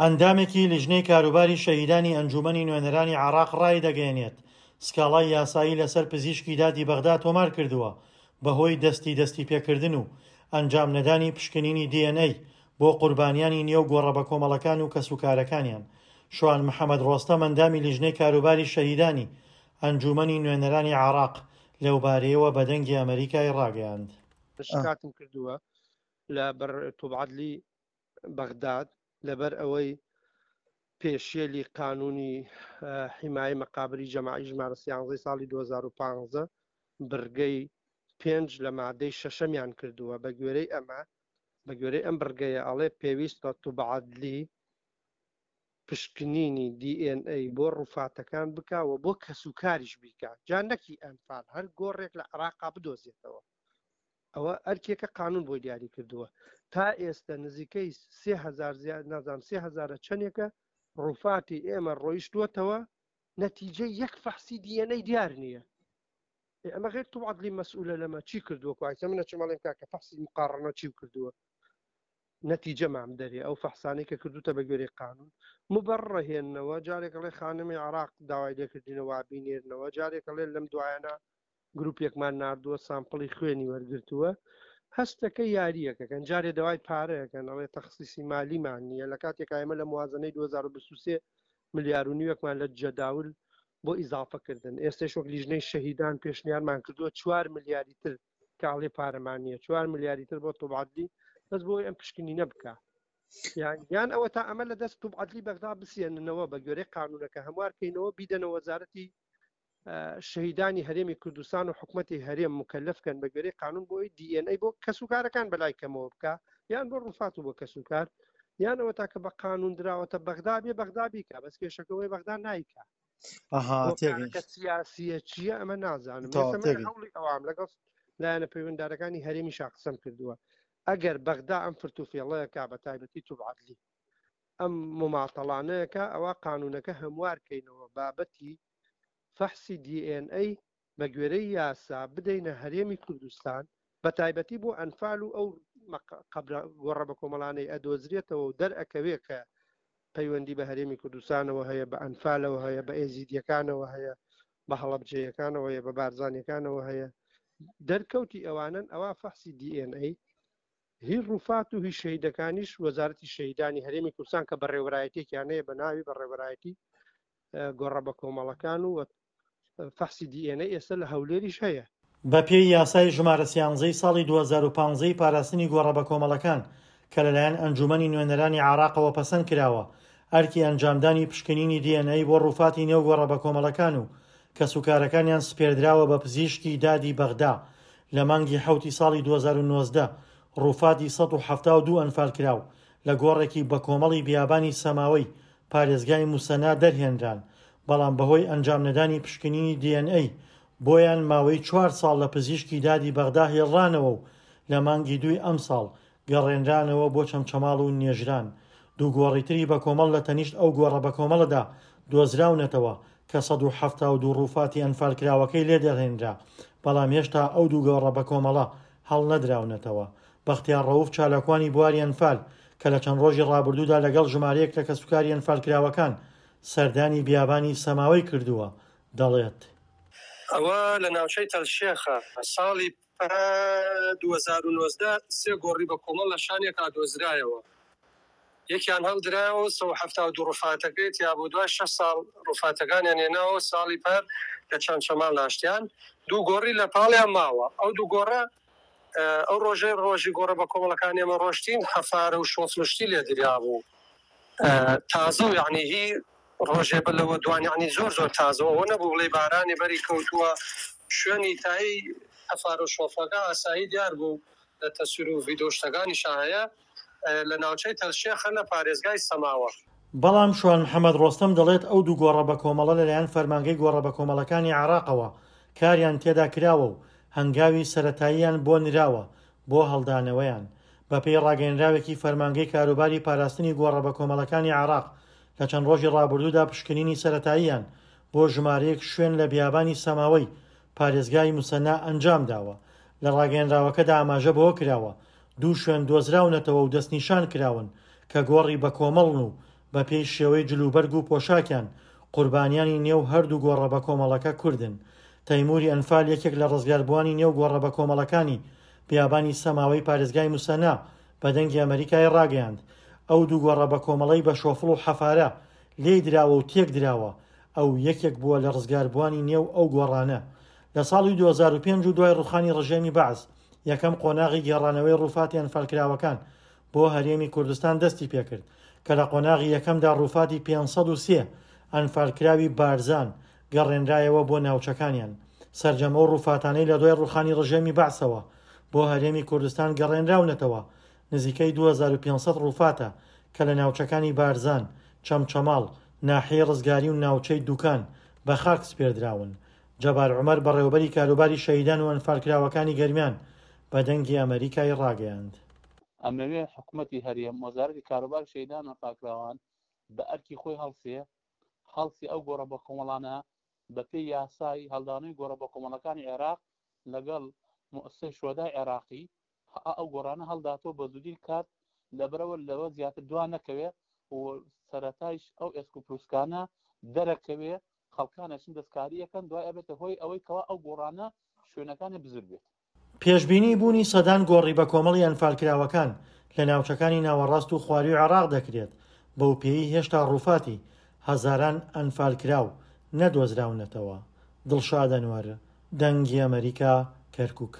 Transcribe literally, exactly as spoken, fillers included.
ئەندامێکی لیژنەی کاروباری شەهیدانی ئەنجوومەنی نوێنەرانی عێراق ڕایدەگەیەنێت، سکاڵای یاسایی لەسەر پزیشکی دادی بەغدا تۆمار کردووە بەهۆی دەستی دەستی پێکردن و ئەنجام نەدانی پشکنینی دی ئێن ئەی بۆ قوربانیانی نێو گۆڕە بەکۆمەڵەکان و کەسوکارەکانیان. شوان محەمەد ڕۆستەم ئەندامی لیژنەی کاروباری شەهیدانی ئەنجوومەنی نوێنەرانی عێراق لەوبارەیەوە بە دەنگی ئەمەریکای ڕاگەیاند. شکاتم کردووە لە بەر طب عدلی بەغداد لەبەر ئەوەی پێشێلی قانونی حیمایە مەقابری جەماعی ژمارە سیانزەی ساڵی دوو هەزار و پازدە بڕگەی پێنج لە مادەی شەشەمیان کردووە. بە گوێرەی ئەمە بە گوێرەی ئەم بڕگەیە ئەڵێ پێویستە طب عدلی پشکنینی دی ئێن ئەی بۆ ڕوفاتەکان بکا و بۆ کەسوکاریش بیکا، جا نەکی ئەنفال هەر گۆڕێک لە عێراقا بدۆزێتەوە. ئەوە ئەرکێکە قانون بۆی دیاری کردووە. تا ئێستا نزیکەی سێ هەزار زیاد نازانم سێ هەزارە چەندێکە ڕوفاتی ئێمە ڕۆیشتووەتەوە، نەتیجەی یەک فەحسی دی ئێن ئەی دیار نییە. ئەمە غێر طب عدلی مەسئولە لەمە چی کردووە؟ کوایسە منە چمەڵێم کاکە فەحسی مقاڕنە چی کردووە؟ نەتیجەمان دەرێ ئەو فەحسانەی کە کردوتە بە گوێرەی قانون مبەڕە هێننەوە. جارێک ئەڵێ خانمی عێراق داوای لێکردینەوە بینێرنەوە، جارێک ئەڵێ لەم دوایانە گروپێکمان ناردووە سامپڵی خوێنی وەرگرتووە. هەستەکە یاریەکەکەن، جارێ داوای پارەیەکەن، ئەڵێ تەخصیصی مالیمان نییە. لە کاتێک ئێمە لە موازنەی دوو هەزار و بیست و سێ ملیار و نیوێکمان لە جەداول بۆ ئیزافەکردن، ئێستاش وەک لیژنەی شەهیدان پێشنیارمان کردووە چوار ملیاری تر کاڵێ پارەمان نییە، چوار ملیاری تر بۆ طب عدلی بەس بۆی ئەم پشکنینە بکە. یان ئەوە تا ئەمە لە دەست طب عدلی بەغدا بسیێننەوە بە گوێرەی قانونەکە هەموارکەینەوە بیدەنەوە وەزارەتی شەهیدانی هەرێمی کوردستان و حکوومەتی هەرێم مکەلەفکەن بە گوێرەی قانون بۆی دی ئێن ئەی بۆ کەسوکارەکان بەلای کەمەوە بکە، یان بۆ ڕوفات و بۆ کەسوکار، یان ئەوە تا کە بە قانون دراوەتە بەغدا بێ بەغدا بیکە، بەس کێشەکەەوەی بەغدا نایکە. ئەها، بۆ تێگەیشت. کارەکە سیاسیە چییە ئەمە نازانم. تەواو، ئێستا من تێگەیشت. هەوڵی ئەوام لەگەڵ لایەنە پەیوەنددارەکانی هەرێمی شا قسەم کردووە. ئەگەر بەغدا ئەم فرت و فێڵەیەکە بە تایبەتی طب عدلی ئەم مماتەڵانەیەکە، ئەوە قانونەکە هەموارکەینەوە بابەتی فەحسی دی ئێن ئەی بە گوێرەی یاسا بدەینە هەرێمی کوردستان، بە تایبەتی بۆ ئەنفال و ئەو قەبرە گۆڕە بە کۆمەڵانەی ئەدۆزرێتەوە و دەرئەکەوێ کە پەیوەندی بە هەرێمی کوردستانەوە هەیە، بە ئەنفالەوە هەیە، بە ئێزیدیەکانەوە هەیە، بە هەڵەبجەیەکانەوە هەیە، بە بارزانیەکانەوە هەیە، دەرکەوتی ئەوانن ئەوە فەحسی دی ئێن ئەی هی ڕوفات و هی شەهیدەکانیش وەزارەتی شەهیدانی هەرێمی کوردستان کە بەڕێوەرایەتێکیان هەیە بە ناوی بەڕێوەرایەتی گۆڕە بە کۆمەڵەکان و فەحسی دی ئێن ئەی ئێستا لە هەولێریش هەیە. بە پێی یاسای ژمارە سیانزەی ساڵی دوو هەزار و پازدە پاراستنی گۆڕە بە کۆمەڵەکان کە لەلایەن ئەنجوومەنی نوێنەرانی عێراقەوە پەسەند کراوە، ئەرکی ئەنجامدانی پشکنینی دی ئێن ئەی بۆ ڕوفاتی نێو گۆڕە بە کۆمەڵەکان و کەسوکارەکانیان سپێردراوە بە پزیشکی دادی بەغدا. لە مانگی حەوتی ساڵی دوو هەزار و نۆزدە ڕوفاتی سەد و حەفتا و دوو ئەنفال کراو لە گۆڕێکی بەکۆمەڵی بیابانی سەماوەی پارێزگای موسەنا دەرهێنران، بەڵام بەهۆی ئەنجام نەدانی پشکنینی دی ئێن ئەی بۆیان ماوەی چوار ساڵ لە پزیشکی دادی بەغدا هێڵرانەوە و لە مانگی دووی ئەم ساڵ گەڕێنرانەوە بۆ چەمچەماڵ و نێژران. دوو گۆڕی تری بەکۆمەڵ لە تەنیشت ئەو گۆڕە بەکۆمەڵەدا دۆزراونەتەوە کە سەد و حەفتا و دوو ڕووفاتی ئەنفالکراوەکەی لێ دەرهێنرا، بەڵام هێشتا ئەو دوو گۆڕە بەکۆمەڵە هەڵنەدراونەتەوە. بەختیار ڕەوف چالاکوانی بواری ئەنفال کە لە چەند ڕۆژی ڕابردوودا لەگەڵ ژمارەیەک لە کەسوکاری ئەنفالکراوەکان سەردانی بیابانی سەماوەی کردووە، دەڵێت: ئەوە لە ناوچەی تەلشێخە ساڵی دوو هەزار و نۆزدە سێ گۆڕی بە کۆمەڵ لە شانێکا دۆزرایەوە، یەکیان هەڵدرایەوە سەد و حەفتا و دوو ڕوفاتەکەی تیا بوو، دوای شەش ساڵ ڕوفاتەکانیان هێناوە، ساڵی پار لە چەمچەماڵ ناشتیان. دوو گۆڕی لە پاڵیان ماوە. ئەو دوو گۆڕە ئەو ڕۆژەی ڕۆژی گۆڕە بە کۆمەڵەکان ئێمە ڕۆشتین حەفارە و شۆفلشتی لێ دریا بوو تازە و یعنی هی ڕۆژێ بە لەوە دوان، یعنی زۆر زۆر تازەوە ئەوە نەبوو بڵێ بارانی بەری کەوتووە. شوێنی تایی حەفارە و شۆفەکە ئاسایی دیار بوو لە تەسویر و ڤیدۆ شتەکانیشا هەیە لە ناوچەی تەلشێخە لە پارێزگای سەماوە. بەڵام شوان محەمەد ڕۆستەم دەڵێت ئەو دوو گۆڕە بە کۆمەڵە لەلایەن فەرمانگەی گۆڕە بە کۆمەڵەکانی عێراقەوە کاریان تێدا کراوە و هەنگاوی سەتاییان بۆ نراوە بۆ هەڵدانەوەیان. بەپێی ڕاگەیەنراوێکی فەرمانگەی کاروباری پاراستنی گۆڕە بە کۆمەڵەکانی عێراق لە چەند ڕۆژی ڕابردوودا پشکنینی سەتاییان بۆ ژمارەیەک شوێن لە بیابانی سەماوەی پارێزگای موسەنا ئەنجام داوە. لە ڕاگەیەنراوەکەدا ئاماژە بەوە کراوە دوو شوێن دۆزراونەتەوە و دەستنیشان کراون کە گۆڕی بە کۆمەڵن و بەپێی شێوەی جلوبەرگ و پۆشاکیان، قوربانیانی نێو هەردوو گۆڕە بەکۆمەڵەکە کوردن. تەیموری ئەنفال یەکێک لە ڕزگاربووانی نێو گۆڕە بەکۆمەڵەکانی بیابانی سەماوەی پارێزگای موسەنا بە دەنگی ئەمەریکای ڕاگەیاند، ئەو دوو گۆڕە بەکۆمەڵەی بە شۆفڵ و حەفارە لێی دراوە و تێکدراوە، ئەو یەکێک بووە لە ڕزگاربووانی نێو ئەو گۆڕانە. لە ساڵی دوو هەزار و پێنج و دوای ڕووخانی ڕژێمی بەعس، یەکەم قۆناغی گێڕانەوەی ڕووفاتی ئەنفالکراوەکان بۆ هەرێمی کوردستان دەستی پێکرد، کە لە قۆناغی یەکەمدا ڕووفاتی پێنج سەد و سێ ئەنفالکراوی بارزان گەڕێنرایەوە بۆ ناوچەکانیان. سەرجەم ئەو ڕووفاتانەی لە دوای ڕووخانی ڕژێمی بەعسەوە بۆ هەرێمی کوردستان گەڕێنراونەتەوە، نزیکەی دوو هەزار و پێنج سەد ڕووفاتە کە لە ناوچەکانی بارزان، چەمچەماڵ، ناحیەی ڕزگاری و ناوچەی دوکان بە خاک سپێردراون. جەبار عومەر بەڕێوەبەری کاروباری شەهیدان و ئەنفالکراوەکانی گەرمیان بە دەنگی ئەمەریکای ڕاگەیاند. ئەمەوێ حکومەتی هەرێم، وەزارەتی کاروباری شەهیدان و ئەنفالکراوان بە ئەرکی خۆی هەڵسێ، هەڵسی ئەو گۆڕە بەکۆمەڵانە بەپێی یاسای هەڵدانەوەی گۆڕە بەکۆمەڵەکانی عێراق لەگەڵ موئەسسەی شوهەدای عێراقی ئەو گۆڕانە هەڵداتەوە بە زودی کات، لەبەرەوە لەوە زیاتر دوا نەکەوێ و سەرەتایش ئەو ئێسک و پروسکانە دەرەکەوێ، خەڵکانە چن دەستکاریەکەن، دوای ئەبێتە هۆی ئەوەی کەوا ئەو گۆڕانە شوێنەکانی بزر بێت. پێشبینی بوونی سەدان گۆڕی بە کۆمەڵی ئەنفالکراوەکان لە ناوچەکانی ناوەڕاست و خواروی عێراق دەکرێت، بەو پێیەی هێشتا ڕووفاتی هەزاران ئەنفالکراو نەدۆزراونەتەوە. دڵشاد ئەنوەر، دەنگی ئەمەریکا، کەرکوک.